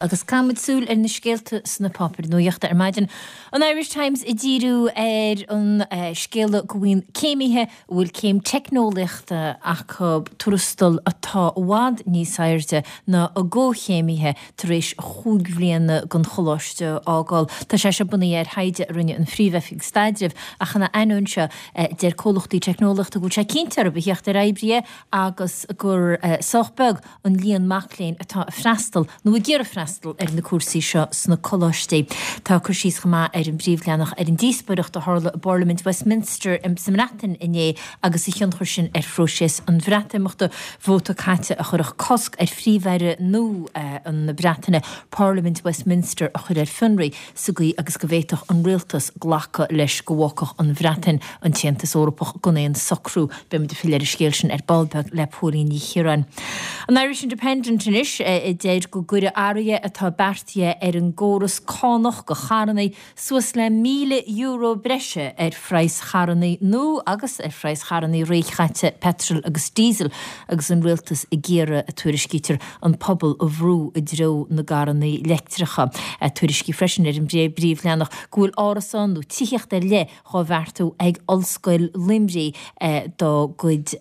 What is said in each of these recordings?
Agus caithfimid súil ar na scéalta sna páipéir nuachta ar maidin. An Irish Times ag díriú ar an scéala go bhfaigheann céimithe a bhfuil céim teicneolaíochta acu tuarastal atá i bhfad níos airde ná a gcomhchéimithe tar éis chúig bhliana den choláiste a fhágáil. Tá sé seo bunaithe ar thaighde a rinne an Phríomh-Oifig Staidrimh ach ina ainneoin seo deir comhlachtaí teicneolaíochta go bhfuil sé cinnte orthu a theacht ar oibrithe agus gur sách beag an líon mac léinn atá ag freastal nó ag iarraidh freastal ar na cúrsaí seo sna coláistí. Tá cur síos chomh maith ar an bpríomhleathanach ar an díospóireacht a tharla i bParlaimint Westminster sa mBreatain inné agus a thionchar sin ar phróiseas an Bhreatimeachta. Vóta caite a chuirfeadh cosc ar Phríomh-Aire nua na Breataine Parlaimint Westminster a chur ar fionraí sa gcaoi agus go bhféadfadh an rialtas glacadh leis go bhfágfadh an Bhreatain an tAontas Eorpach gan aon socrú. Beidh muid ag filleadh ar an scéal sin ar ball beag le Póilín Ní Chiaráin. An Irish Independent anois a deir go gcuirfidh athruithe atá beartaithe ar an gcóras cánach do charranna suas le €1,000 breise ar phraghas charranna nua agus ar phraghas charranna réchaite peitril agus díosail agus an rialtas ag iarraidh, a tuairiscítear, an pobal a bhrú i dtreo na gcarranna leictreacha. Tuairiscí freisin ar an bpríomhleathanach go bhfuil árasán nó tithíocht ar leith dhá bheartú ag Ollscoil Luimnigh dá gcuid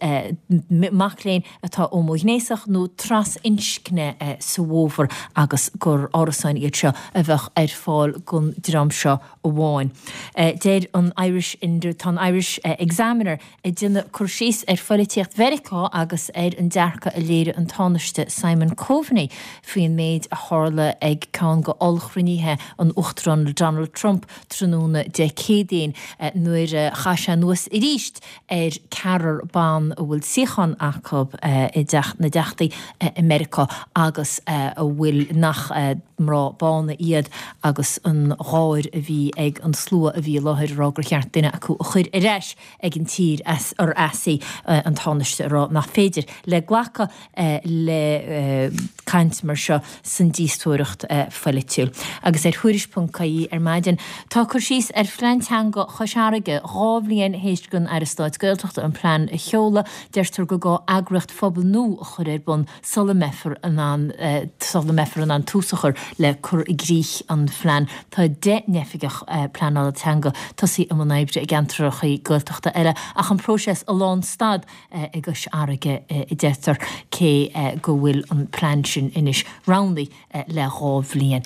mac léinn atá homaighnéasach nó trasinscne sa bhfómhar agus gur árasáin iad seo a bheadh ar fáil don dream seo amháin. Deir an Irish Tá an Irish Examiner ag déanamh cur síos ar phoilitíocht Mheiriceá agus ar an dearcadh a léirigh an Tánaiste Simon Coveney faoin méid a tharla ag ceann de ollchruinnithe an Uachtaráin Donald Trump tráthnóna Dé Céadaoin nuair a chaith sé anuas arís ar ceathrar ban a bhfuil suíochán acu i dTeach na dTeachtaí i Meiriceá agus a bhfuil nach mná bána iad agus an gháir a bhí ag an slua a bhí i láthair ag rá gur cheart duine acu a chur ar ais ag an tír as ar as í, an Tánaiste ag rá nach féidir le glacadh le caint mar seo san díospóireacht pholaitiúil. Agus ar Thuairisc.ie ar maidin tá cur síos ar phlean teanga Chois Fharraige, 2 bhliain théis don Aire Stáit Gaeltachta an plean a sheoladh, deirtear gur gá eagraíocht phobail nua a chur ar bun sula mbeifear in ann sula mbeifear in ann tús a chur le cur i gcrích an phlean. Tá 10 n-oifigeach pleanála teanga tosaithe i mbun oibre i gceantracha Gaeltachta eile ach an próiseas i lánstad i gCois Fharraige a deirtear, cé go bhfuil an plean sin anois roghnaithe le 2 bhliain.